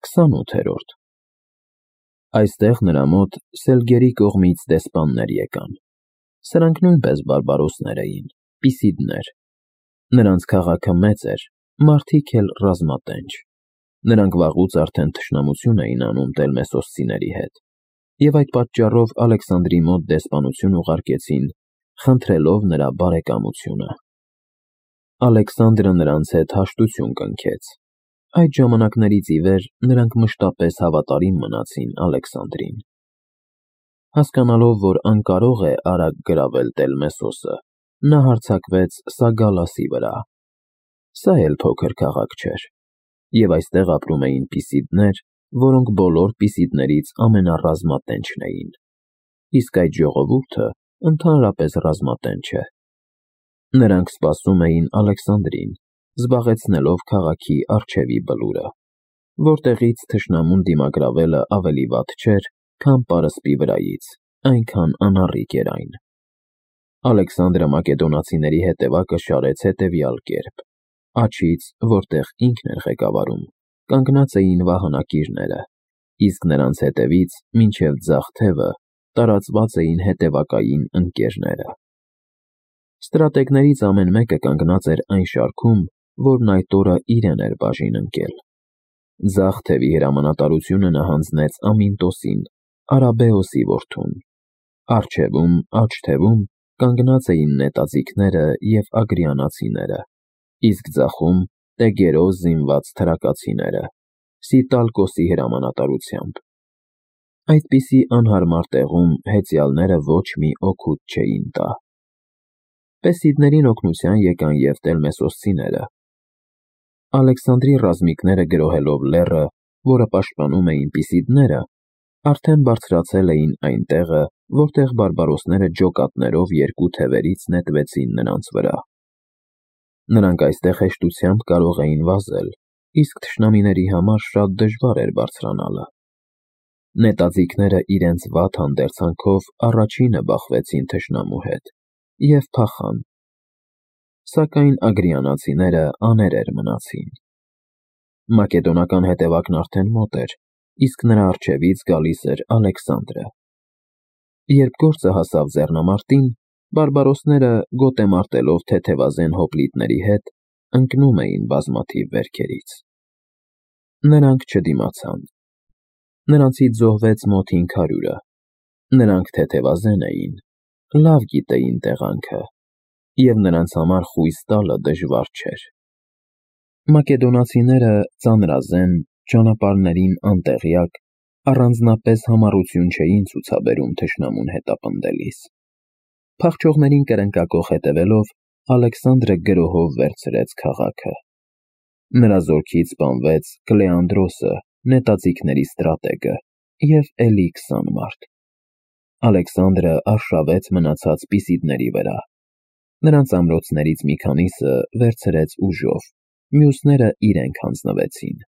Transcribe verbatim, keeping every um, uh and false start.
քսանութերորդ Այստեղ նրա մոտ Սելգերի կողմից դեսպաններ եկան։ Սրանք նույնպես բարբարոսներ էին, պիսիդներ։ Նրանց քաղաքը մեծ էր, մարդիկ էլ ռազմատենչ։ Նրանք վաղուց արդեն թշնամություն էին անում տելմեսոսցիների հետ, և այդ պատճառով Ալեքսանդրի մոտ դեսպանություն ուղարկեցին, խնդրելով նրա բարեկամությունը։ Ալեքսանդրը նրանց հետ հաշտություն կնքեց։ Այդ ժամանակներից ի վեր նրանք մշտապես հավատարիմ մնացին Ալեքսանդրին։ Հասկանալով, որ անկարող է արագ գրավել Տելմեսոսը, նա հարձակվեց Սագալասի վրա։ Սա էլ փոքր քաղաք չէր, և այստեղ ապրում էին պիսիդներ, որոնք բոլոր պիսիդներից ամենառազմատենչն էին, իսկ այդ ժողովուրդը ընդհանրապես ռազմատենչ է։ Նրանք սպասում էին Ալեքսանդրին, զբաղեցնելով քաղաքի առջևի բլուրը, որտեղից թշնամուն դիմագրավելը ավելի վատ չէր, քան պարսպի վրայից, այնքան անառիկ էր այն։ Ալեքսանդրը մակեդոնացիների հետևակը շարեց հետևյալ կերպ. աջից, որտեղ ինքն էր ղեկավարում, կանգնած էին վահանակիրները, իսկ նրանց հետևից մինչև ձախ թևը տարածված էին հետևակային ընկերները։ Ստրատեգներից ամեն մեկը կանգնած էր այն շարքում, որն այդ օրը իրեն էր բաժին ընկել։ Ձախ թևի հրամանատարությունը նա հանձնեց Ամինտոսին, Արաբեոսի որդուն։ Առջևում, աջ թևում կանգնած էին նետաձիգները և ագրիանացիները, իսկ ձախում տեգերով զինված թրակացիները, Սիտալկոսի հրամանատարությամբ։ Այդպիսի անհարմար տեղում հեծյալները ոչ մի օգուտ չէին տա։ Պեսիդներին օգնության եկան և տելմեսոսցիները։ Ալեքսանդրի ռազմիկները գրոհելով լեռը, որը պաշտպանում էին պիսիդները, արդեն բարձրացել էին այն տեղը, որտեղ բարբարոսները ջոկատներով երկու թևերից նետվեցին նրանց վրա։ Նրանք այստեղ հեշտությամբ կարող էին վազել, իսկ թշնամիների համար շատ դժվար էր բարձրանալը։ Նետաձիգները իրենց վատ հանդերձանքով առաջինը բախվեցին թշնամու հետ և փախան, սակայն ագրիանացիները աներեր մնացին։ Մակեդոնական հետևակն արդեն մոտ էր, իսկ նրա առջևից գալիս էր Ալեքսանդրը։ Երբ գործը հասավ ձեռնամարտին, բարբարոսները, գոտեմարտելով թեթևազեն հոպլիտների հետ, ընկնում էին բազմաթիվ վերքերից։ Նրանք չդիմացան։ Նրանցից զոհվեց մոտ հինգ հարյուրը։ Նրանք թեթևազեն էին, լավ գիտեին տեղանքը, և նրանց համար խույս տալը դժվար չէր։ Մակեդոնացիները ծանրազեն, ճանապարհներին անտեղյակ, առանձնապես համառություն չէին ցուցաբերում թշնամուն հետապնդելիս։ Փախչողներին կրնկակոխ հետևելով, Ալեքսանդրը գրոհով վերցրեց քաղաքը։ Նրա զորքից սպանվեց Կլեանդրոսը, նետաձիգների ստրատեգը, և էլի քսան մարդ։ Ալեքսանդրը արշավեց մնացած պիսիդների վրա։ Նրանց ամրոցներից մի քանիսը վերցրեց ուժով, մյուսները իրենք հանձնվեցին։